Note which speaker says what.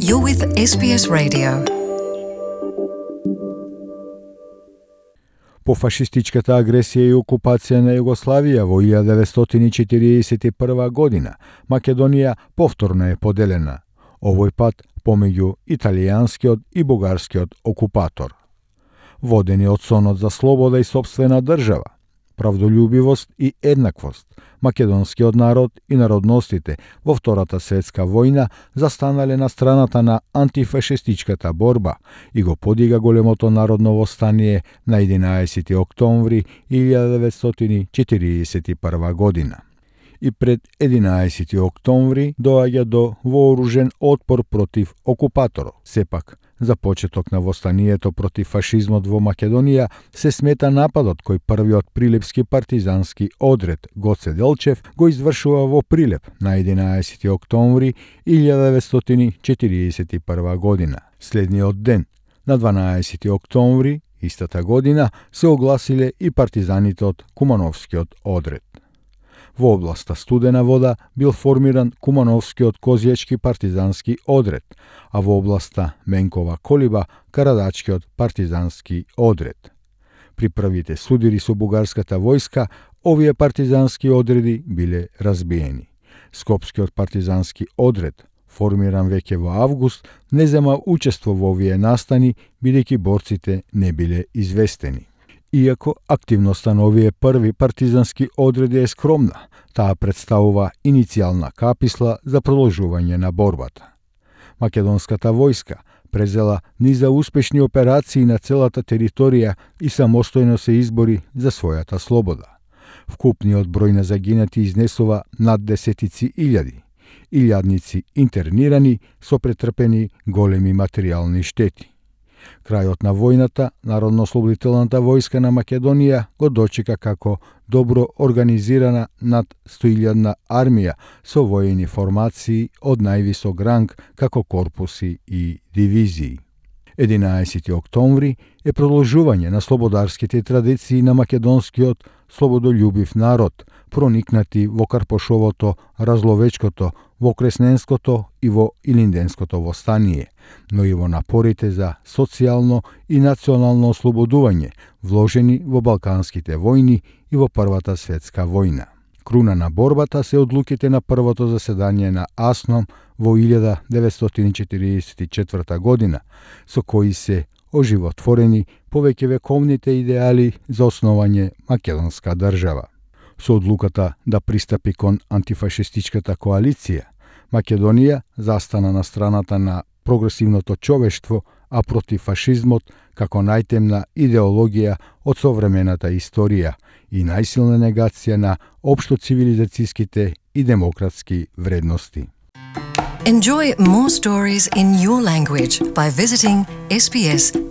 Speaker 1: You're with SBS Radio.
Speaker 2: По фашистичката агресија и окупација на Југославија во 1941 година, Македонија повторно е поделена, овој пат помеѓу италијанскиот и бугарскиот окупатор. Водени од сонот за слобода и сопствена држава, правдолюбивост и еднаквост, македонскиот народ и народностите во Втората светска војна застанале на страната на антифашистичката борба и го подига големото народно востание на 11 октомври 1941 година. И пред 11 октомври доаѓа до вооружен отпор против окупаторот. Сепак, за почеток на востанието против фашизмот во Македонија се смета нападот кој првиот прилепски партизански одред Гоце Делчев го извршува во Прилеп на 11 октомври 1941 година. Следниот ден, на 12 октомври истата година, се огласиле и партизаните од Кумановскиот одред. Во областа Студена вода бил формиран Кумановскиот козјачки партизански одред, а во областа Менкова Колиба Карадачкиот партизански одред. При првите судири со бугарската војска, овие партизански одреди биле разбиени. Скопскиот партизански одред, формиран веќе во август, не зема учество во овие настани, бидејќи борците не биле известени. Иако активноста на овие први партизански одреди е скромна, таа представува иницијална каписла за продолжување на борбата. Македонската војска презела низа успешни операции на целата територија и самостојно се избори за својата слобода. Вкупниот број на загинати изнесува над десетици илјади, илјадници интернирани со претрпени големи материјални штети. Крајот на војната, Народно-ослободителната војска на Македонија го дочека како добро организирана над 100.000 армија со воени формации од највисок ранг како корпуси и дивизии. 11 октомври е продолжување на слободарските традиции на македонскиот слободолюбив народ, проникнати во Карпошовото, Разловечкото, во Кресненското и во Илинденското востание, но и во напорите за социјално и национално ослободување, вложени во Балканските војни и во Првата светска војна. Круна на борбата се одлуките на првото заседание на АСНОМ во 1944 година, со кои се оживотворени повеќе вековните идеали за основање македонска држава. Со одлуката да пристапи кон антифашистичката коалиција, Македонија застана на страната на прогресивното човештво, а против фашизмот како најтемна идеологија од современата историја и најсилна негација на општо цивилизацијските и демократски вредности.
Speaker 1: Enjoy more stories in your language by visiting sbs.com.au.